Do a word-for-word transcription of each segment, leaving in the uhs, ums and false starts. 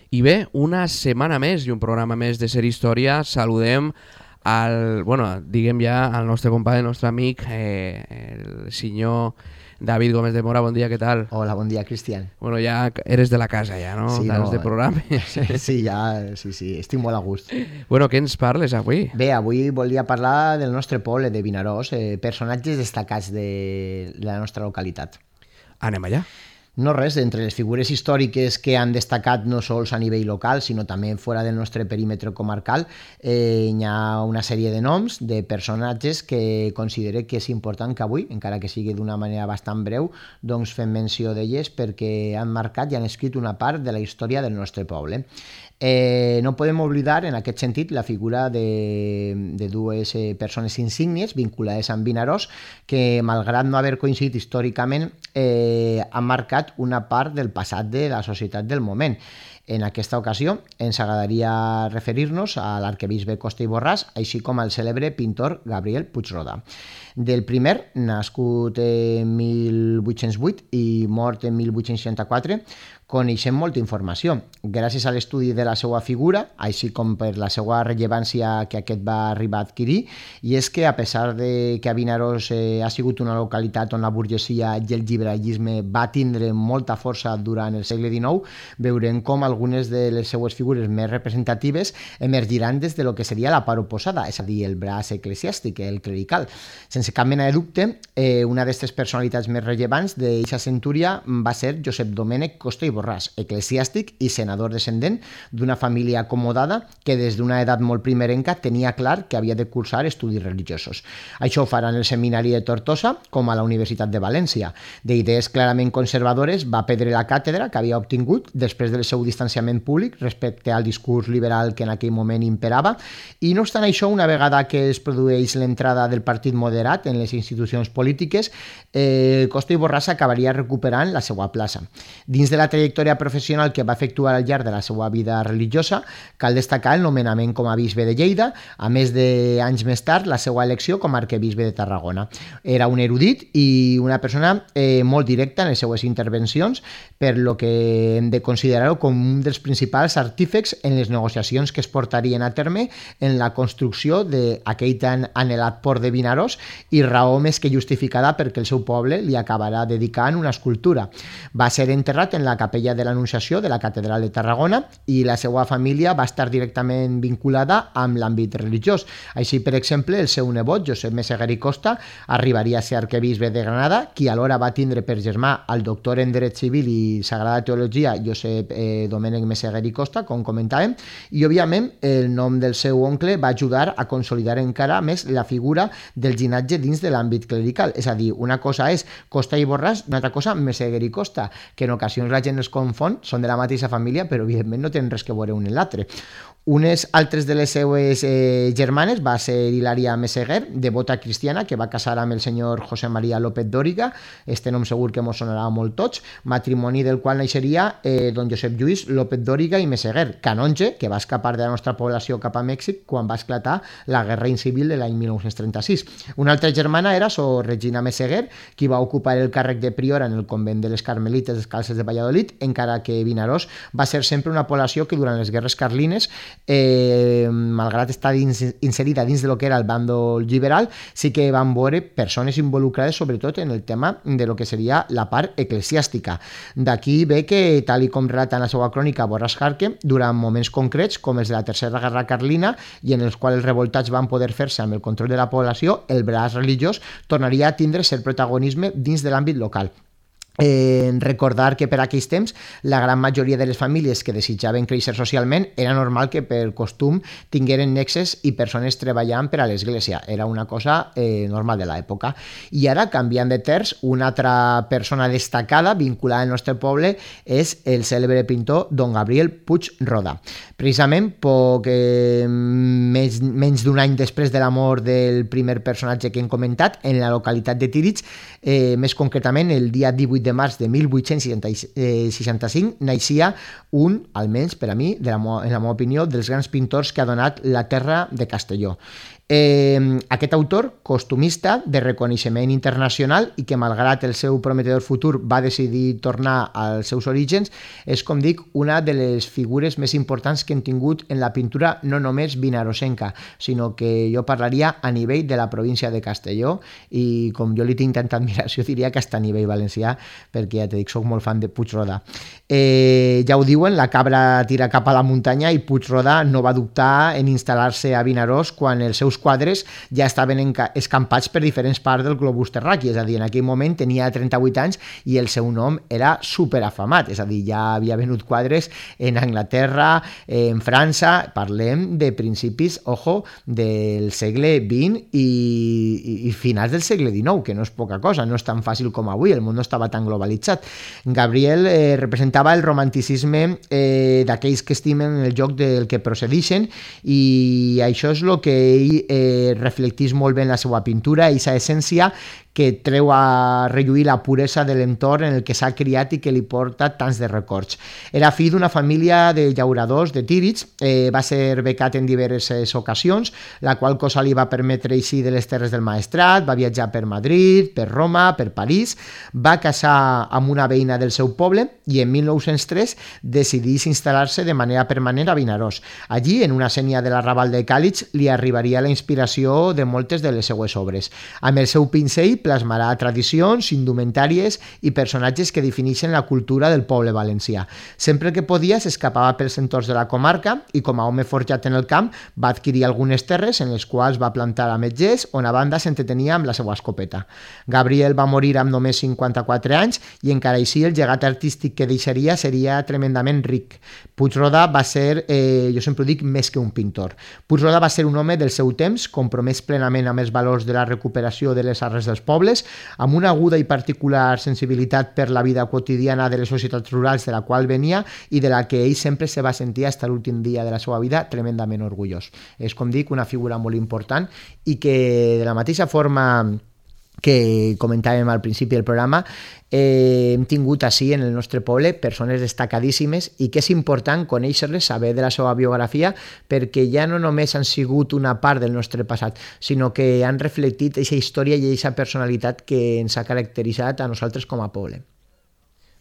I bé, una setmana més i un programa més de Ser Història. Saludem al, bueno, diguem ja al nostre company, el nostre amic, eh, el senyor David Gómez de Mora. Bon dia, què tal? Hola, bon dia, Cristian. Bueno, ja eres de la casa, ja, no? Sí, Tants no, de programa. Sí, ja, sí, sí, estic molt a gust. Bueno, què ens parles avui? Bé, avui volia parlar del nostre poble, de Vinaròs, eh, personatges destacats de la nostra localitat. Anem allà. No res, entre les figures històriques que han destacat no sols a nivell local, sinó també fora del nostre perímetre comarcal, eh, hi ha una sèrie de noms de personatges que considero que és important que avui, encara que sigui d'una manera bastant breu, doncs fem menció d'elles perquè han marcat i han escrit una part de la història del nostre poble. Eh, no podem oblidar, en aquest sentit, la figura de, de dues eh, persones insígnies vinculades amb Vinaròs que, malgrat no haver coincidit històricament, eh, han marcat una part del passat de la societat del moment. En aquesta ocasió ens agradaria referir-nos a l'arquebisbe Costa i Borràs, així com al cèlebre pintor Gabriel Puigrodà. Del primer, nascut en mil vuit-cents vuit i mort en mil vuit-cents seixanta-quatre, coneixem molta informació. Gràcies a l'estudi de la seva figura, així com per la seva rellevància que aquest va arribar a adquirir, i és que, a pesar de que a Vinaròs eh, ha sigut una localitat on la burgesia i el liberalisme va tindre molta força durant el segle dinou, veurem com algunes de les seues figures més representatives emergiran des de lo que seria la part oposada, és a dir, el braç eclesiàstic, el clerical. Sense cap mena de dubte, eh, una d'aquestes personalitats més rellevants d'aquesta centúria va ser Josep Domènec Costa i Borràs, eclesiàstic i senador descendent d'una família acomodada que des d'una edat molt primerenca tenia clar que havia de cursar estudis religiosos. Això ho farà en el seminari de Tortosa com a la Universitat de València. D'idees clarament conservadores va perdre la càtedra que havia obtingut després del seu distanciament públic respecte al discurs liberal que en aquell moment imperava, i no obstant això, una vegada que es produeix l'entrada del partit moderat en les institucions polítiques, eh, Costa i Borràs acabaria recuperant la seva plaça. Dins de la trajectòria professional que va efectuar al llarg de la seva vida religiosa, cal destacar el nomenament com a bisbe de Lleida, a més d'anys més tard la seva elecció com a arquebisbe de Tarragona. Era un erudit i una persona eh, molt directa en les seues intervencions, per lo que hem de considerar-ho com un dels principals artífex en les negociacions que es portarien a terme en la construcció d'aquell tan anhelat port de Vinaròs, i raó més que justificada perquè el seu poble li acabarà dedicant una escultura. Va ser enterrat en la capella de l'Anunciació de la Catedral de Tarragona i la seva família va estar directament vinculada amb l'àmbit religiós. Així, per exemple, el seu nebot, Josep Meseguer i Costa, arribaria a ser arquebisbe de Granada, qui alhora va tindre per germà el doctor en Dret Civil i Sagrada Teologia, Josep eh, Domènec Meseguer i Costa, com comentàvem, i, òbviament, el nom del seu oncle va ajudar a consolidar encara més la figura del llinatge dins de l'àmbit clerical. És a dir, una cosa és Costa i Borràs, una altra cosa Meseguer i Costa, que en ocasions la gent els confon, són de la mateixa família, però evidentment no tenen res que veure un en l'altre. Unes altres de les seues eh, germanes va ser Hilària Meseguer, devota cristiana, que va casar amb el senyor José María López Dóriga, este nom segur que mos sonarà molt tots, matrimoni del qual naixeria eh, don Josep Lluís López Dóriga i Meseguer, canonge que va escapar de la nostra població cap a Mèxic quan va esclatar la Guerra Civil de l'any mil nou-cents trenta-sis. Una altra germana era Sor Regina Meseguer, qui va ocupar el càrrec de priora en el convent de les Carmelites Descalces de Valladolid, encara que Vinaròs va ser sempre una població que durant les guerres carlines, eh, malgrat estar dins, inserida dins de lo que era el bàndol liberal, sí que van veure persones involucrades sobretot en el tema de lo que seria la part eclesiàstica. D'aquí ve que, tal i com relata en la seva crònica Borràs Jarque, durant moments concrets com els de la Tercera Guerra Carlina, i en els quals els revoltats van poder fer-se amb el control de la població, el braç religiós tornaria a tindre cert protagonisme dins de l'àmbit local. Eh, recordar que per aquells temps la gran majoria de les famílies que desitjaven créixer socialment era normal que per costum tingueren nexes i persones treballant per a l'església. Era una cosa eh, normal de l'època. I ara, canviant de terç, una altra persona destacada vinculada al nostre poble és el cèlebre pintor don Gabriel Puigrodà. Precisament poc eh, menys, menys d'un any després de la mort del primer personatge que hem comentat, en la localitat de Tírig, eh, més concretament el dia divuit de març de mil vuit-cents seixanta-cinc, naixia un, almenys per a mi, de la, en la meva opinió, dels grans pintors que ha donat la terra de Castelló. Eh, aquest autor, costumista de reconeixement internacional i que malgrat el seu prometedor futur va decidir tornar als seus orígens, és, com dic, una de les figures més importants que hem tingut en la pintura no només vinarosenca, sinó que jo parlaria a nivell de la província de Castelló i com jo li tinc tanta admiració diria que hasta a nivell valencià, perquè ja t'he dit, soc molt fan de Puigrodà. Eh, ja ho diuen, la cabra tira cap a la muntanya i Puigrodà no va dubtar en instal·lar-se a Vinaròs quan els seus quadres ja estaven escampats per diferents parts del globus terraqui, és a dir, en aquell moment tenia trenta-vuit anys i el seu nom era superafamat, és a dir, ja havia venut quadres en Anglaterra, en França, parlem de principis, ojo, del segle vint i, i, i finals del segle dinou, que no és poca cosa, no és tan fàcil com avui, el món no estava tan globalitzat. Gabriel eh, representava el romanticisme eh, d'aquells que estimen el joc del que procedixen i això és el que ell eh, reflectís molt bé en la seva pintura, aquesta essència que treu a relluir la puresa de l'entorn en el que s'ha criat i que li porta tants de records. Era fill d'una família de llauradors de Tírids, eh, va ser becat en diverses ocasions, la qual cosa li va permetre eixir de les terres del Maestrat, va viatjar per Madrid, per Roma, per París, va casar amb una veïna del seu poble i en mil nou-cents tres decidís instal·lar-se de manera permanent a Vinaròs. Allí, en una sénia de l'arrabal de Càlig, li arribaria la inspiració de moltes de les seues obres. Amb el seu pincell plasmarà tradicions, indumentàries i personatges que defineixen la cultura del poble valencià. Sempre que podia s'escapava pels entorns de la comarca i com a home forjat en el camp va adquirir algunes terres en les quals va plantar ametllers on a banda s'entretenia amb la seva escopeta. Gabriel va morir amb només cinquanta-quatre anys i encara així el llegat artístic que deixaria seria tremendament ric. Puigrodà va ser, eh, jo sempre ho dic, més que un pintor. Puigrodà va ser un home del seu temps, compromès plenament amb els valors de la recuperació de les arrels dels pobles, amb una aguda i particular sensibilitat per la vida quotidiana de les societats rurals de la qual venia i de la que ell sempre se va sentir fins a l'últim dia de la seva vida tremendament orgullós. És, com dic, una figura molt important i que de la mateixa forma que comentàvem al principi del programa, eh, hem tingut així en el nostre poble persones destacadíssimes i que és important conèixer-les, saber de la seva biografia, perquè ja no només han sigut una part del nostre passat, sinó que han reflectit aquesta història i aquesta personalitat que ens ha caracteritzat a nosaltres com a poble.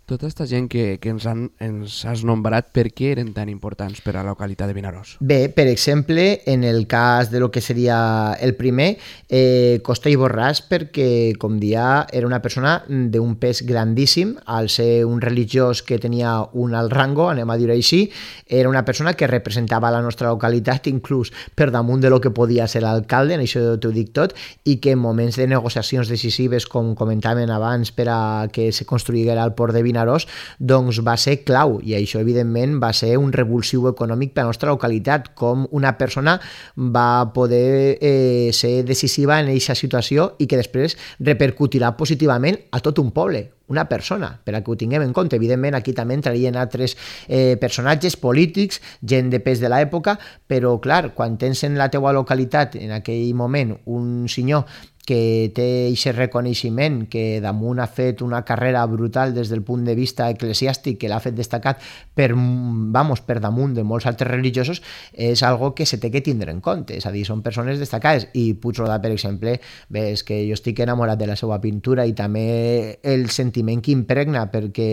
Tota aquesta gent que, que ens, han, ens has nombrat, per què eren tan importants per a la localitat de Vinaròs? Bé, per exemple, en el cas de lo que seria el primer, eh, Costa i Borràs, perquè, com dia, era una persona d'un pes grandíssim, al ser un religiós que tenia un alt rango, anem a dir així, era una persona que representava la nostra localitat, inclús per damunt de lo que podia ser l'alcalde, en això t'ho dic tot, i que en moments de negociacions decisives, com comentaven abans, per a que se construïguera el port de Vinaròs, Vinaròs, doncs va ser clau i això evidentment va ser un revulsiu econòmic per a la nostra localitat, com una persona va poder eh, ser decisiva en aquesta situació i que després repercutirà positivament a tot un poble, una persona, per a que ho tinguem en compte. Evidentment aquí també entrarien altres eh, personatges polítics, gent de pes de l'època, però clar, quan tens en la teua localitat en aquell moment un senyor que té aquest reconeixement, que damunt ha fet una carrera brutal des del punt de vista eclesiàstic, que l'ha fet destacat per, vamos, per damunt de molts altres religiosos, és algo que se té que tindre en compte, és a dir, són persones destacades. I Puigrodà, per exemple, bé, és que jo estic enamorat de la seva pintura i també el sentiment que impregna, perquè,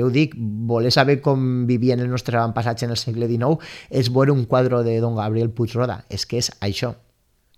jo ho dic, voler saber com vivien el nostre avantpassatge en el segle dinou és veure un quadre de don Gabriel Puigrodà, és que és això,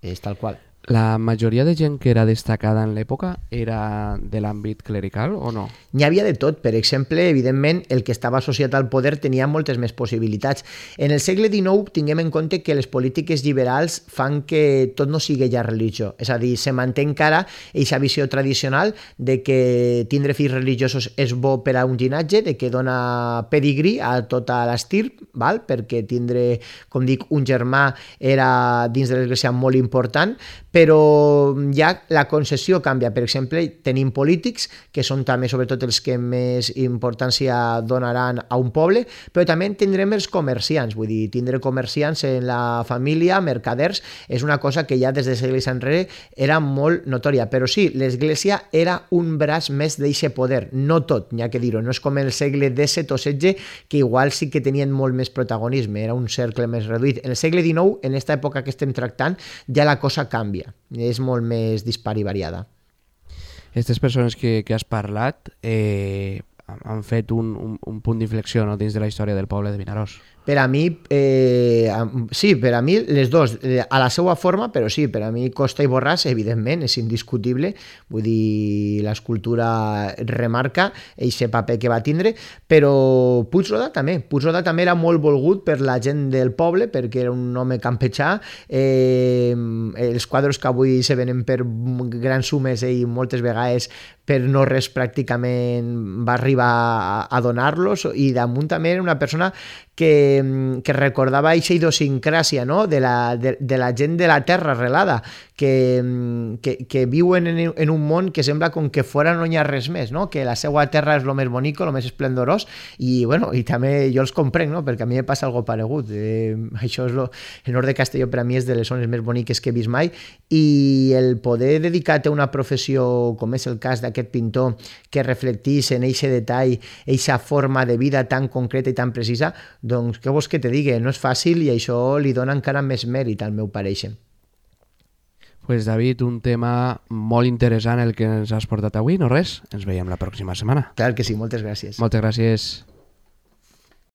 és tal qual. La majoria de gent que era destacada en l'època era de l'àmbit clerical o no? N'hi havia de tot. Per exemple, evidentment, el que estava associat al poder tenia moltes més possibilitats. En el segle dinou tinguem en compte que les polítiques liberals fan que tot no sigui ja religió. És a dir, se manté encara aquesta visió tradicional de que tindre fills religiosos és bo per a un llinatge, de que dona pedigrí a tota l'estirp, val? Perquè tindre, com dic, un germà era dins de l'església molt important, però ja la concessió canvia. Per exemple, tenim polítics, que són també sobretot els que més importància donaran a un poble, però també tindrem els comerciants, vull dir, tindre comerciants en la família, mercaders, és una cosa que ja des de segles enrere era molt notòria, però sí, l'Església era un braç més d'eixe poder, no tot, n'hi ha que dir-ho, no és com el segle disset o setze, que igual sí que tenien molt més protagonisme, era un cercle més reduït. En el segle dinou, en aquesta època que estem tractant, ja la cosa canvia, és molt més dispar i variada. Aquestes persones que, que has parlat eh, han fet un, un, un punt d'inflexió, no?, dins de la història del poble de Vinaròs. Per a mi, eh, sí, per a mi les dos, a la seva forma, però sí, per a mi Costa i Borràs, evidentment, és indiscutible, vull dir, l'escultura remarca aquest paper que va tindre, però Puigrodà també, Puigrodà també era molt volgut per la gent del poble, perquè era un home campetxà, eh, els quadres que avui se venen per grans sumes i moltes vegades per no res pràcticament va arribar a, a donar-los, i damunt també era una persona que, que recordava aquesta idiosincràsia, no?, de, la, de, de la gent de la terra arrelada, que, que, que viuen en, en un món que sembla com que fora no hi ha res més, no?, que la seva terra és el més bonic, el més esplendorós, i, bueno, i també jo els comprenc, no?, perquè a mi em passa algo paregut. Eh, això és lo, el nord de Castelló per a mi és de les zones més boniques que he vist mai, i el poder dedicar-te a una professió, com és el cas d'aquest pintor, que reflectís en eixe detall, eixa forma de vida tan concreta i tan precisa, doncs què vols que te digui? No és fàcil, i això li dona encara més mèrit al meu pareixer. Pues David, un tema molt interessant el que ens has portat avui, no res? Ens veiem la pròxima setmana. Clar que sí, moltes gràcies. Moltes gràcies.